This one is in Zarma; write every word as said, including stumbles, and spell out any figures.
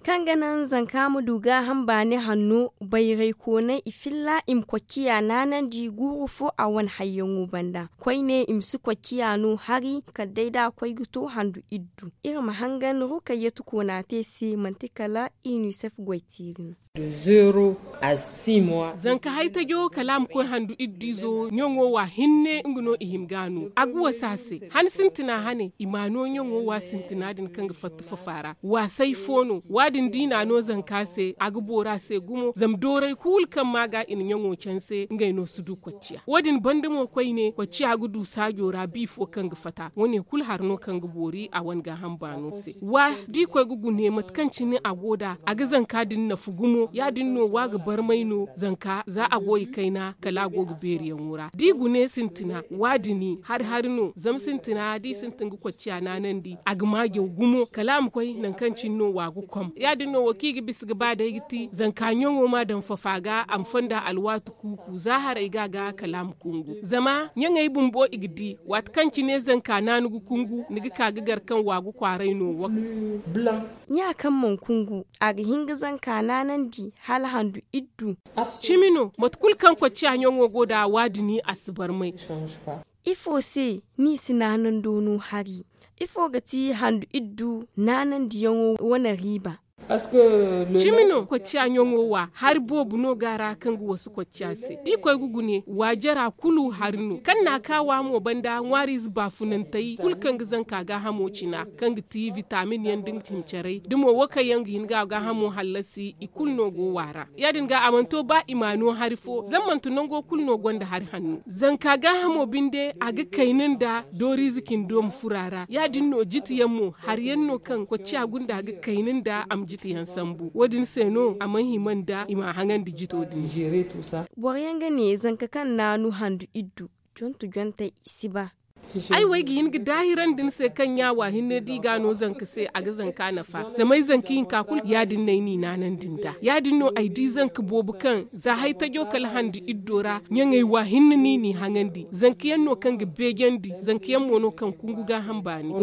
Kaŋ ga naŋ zanka ma du gaaham baani hanno, bayraykooney i filla i ma kocciya naanandi guuru fo a wane hayyaŋo banda. Koyne i ma si kocciya no hari kala day da a koy ga to handu iddu. Iri ma hangan rukayyatu koona te se manti kala inisef goytiiri no. Zanka haytajo kala a ma koy handu iddizo ɲaŋo wa hinne nga no i hima ga a no a ga wasa se. Han sintina hane i ma a no ɲaŋo wa sintina din kaŋ ga fatta fafa ra. Waasay fo no. Wa- din da i na a no zanka se a ga boori a se gumo zama dooray kulu kaŋ ma ga i na ɲaŋo canse ngey no si du kocciya. Wo- din banda mo koyne kocciya ga du saajo ra bi fo kaŋ ga fata wo- ne kulu hari no kaŋ ga boori a wane gaaham baano se. Wa- da i koy ga gune mate kaŋ cine a go nd'a a ga zanka din nafa gumo ya- din no wa ga barmay no zanka za a go i kayna kala a go ga beeriyaŋo ra da i gune sintina wa- din hari hari no zama sintina da i sintin ga kocciya naanandi a ga maajaw gumo kala a ma koy nangu kaŋ cine no wa ga kom ya- din no wo kaŋ i ga bisa ga ba day ga ti zanka ɲaŋo ma daŋ fafa ga a ma fonda alwaati kuuku za haray ga a ga kala a ma kungu zama ɲaŋey bumbo i ga di waati kaŋ cine zanka naanu ga kungu ni ga ka ga gar kaŋ wa ga kwaaray no. Ɲa kaŋ mana kungu a ga hin ga zanka naanandi hala handu iddu. Cimi no mate kulu kaŋ kocciya ɲaŋo go nd'a wa- din a si barmay. Ifo se ni si naanando no hari? Ifo ga ti handu iddu naanandiyaŋo wane riiba? Cimi no kocciya ɲaŋo wa hari boobo no ga a ra kaŋ ga wasu kocciya se da i koy ga gune waajara kulu hari no kaŋ na a ka wa mo banda ŋwaariize baafunantey kulu kaŋ ga zanka gaahamo cina kaŋ ga ti bitamin yaŋ da nga cimi caray da mo wo kaŋ yaŋ ga hin ga a gaahamo hallasi i kulu no go wa a ra. Ya- din ga a mana to ba i ma a no hari fo zama manti nango kulu no gonda hari hanno zanka gaahamo binde a ga kayna nda dooriize cindi ma furo a ra ya- din no jiti yaŋ mo hari yaŋ no kaŋ kocciya gunda ga kayna nda a ma jiti yaŋ sambu wo- din se no a mana hima nda i ma a haŋandi jito din. Boro yaŋ ga ne zanka kaŋ naanu handu iddu jontu jontey i si ba. Ay wo ay ga hin ga daahirandi ni se kaŋ ɲa wa hinne da i ga a no zanka se a ga zanka nafa zama ay zanka hinka kulu ya- din no ay n'i naanandi nd'a ya- din no ay di zanka boobo kaŋ za haytajo kala handu iddo ra ɲaŋey wa hinne no i n'i haŋandi zanka yaŋ no kaŋ ga beejandi zanka yaŋ mo no kaŋ kungu gaaham baani.